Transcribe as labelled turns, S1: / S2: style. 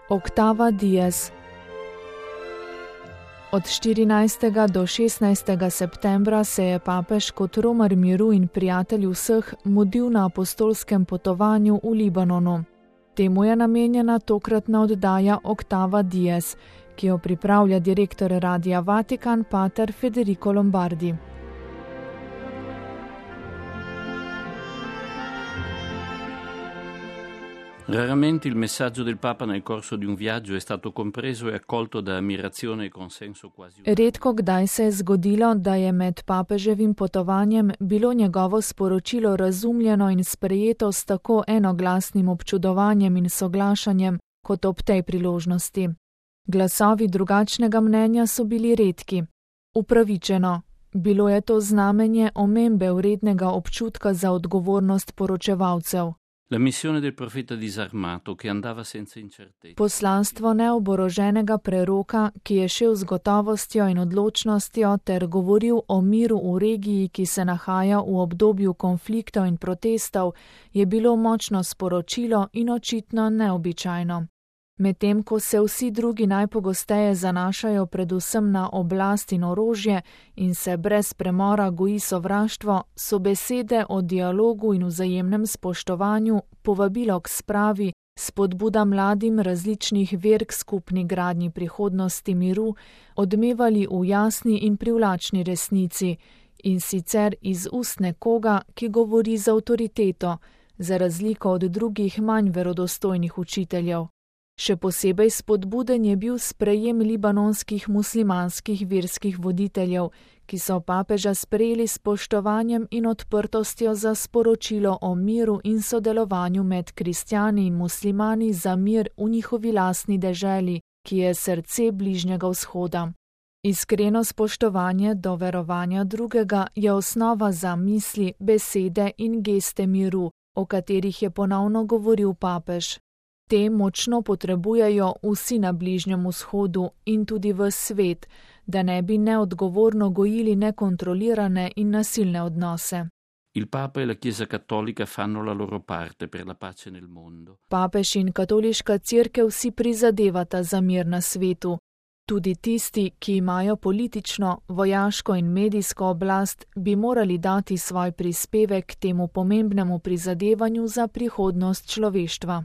S1: Octava Dies. Od 14. do 16. septembra se je papež kot romar miru in prijatelj vseh mudil na apostolskem potovanju v Libanonu. Temu je namenjena tokratna oddaja Octava Dies, ki jo pripravlja direktor Radia Vatikan pater Federico Lombardi.
S2: Raramente il messaggio del Papa nel corso di un viaggio è stato compreso e accolto da ammirazione e consenso quasi.
S1: Redko kdaj se je zgodilo, da je med papeževim potovanjem bilo njegovo sporočilo razumljeno in sprejeto s tako enoglasnim občudovanjem in soglašanjem kot ob tej priložnosti. Glasovi drugačnega mnenja so bili redki. Upravičeno, bilo je to znamenje omembe vrednega občutka za odgovornost poročevalcev.
S2: La missione del profeta disarmato che andava senza incertezza.
S1: Poslanstvo neoboroženega preroka, ki je šel z gotovostjo in odločnostjo ter govoril o miru v regiji, ki se nahaja v obdobju konfliktov in protestov, je bilo močno sporočilo in očitno neobičajno. Medtem ko se vsi drugi najpogosteje zanašajo predvsem na oblast in orožje in se brez premora goji sovraštvo, so besede o dialogu in vzajemnem spoštovanju, povabilo k spravi, spodbuda mladim različnih ver k skupni gradnji prihodnosti miru, odmevali v jasni in privlačni resnici, in sicer iz ust nekoga, ki govori z avtoriteto, za razliko od drugih manj verodostojnih učiteljev. Še posebej spodbuden je bil sprejem libanonskih muslimanskih verskih voditeljev, ki so papeža sprejeli s spoštovanjem in odprtostjo za sporočilo o miru in sodelovanju med kristjani in muslimani za mir v njihovi lastni deželi, ki je srce Bližnjega vzhoda. Iskreno spoštovanje do verovanja drugega je osnova za misli, besede in geste miru, o katerih je ponovno govoril papež. Te močno potrebujejo vsi na Bližnjem vzhodu in tudi v svet, da ne bi neodgovorno gojili nekontrolirane in nasilne odnose.
S2: Il Papa e la Chiesa Cattolica fanno la loro parte per la pace nel mondo.
S1: Papež in katoliška cerkev si prizadevata za mir na svetu. Tudi tisti, ki imajo politično, vojaško in medijsko oblast, bi morali dati svoj prispevek k temu pomembnemu prizadevanju za prihodnost človeštva.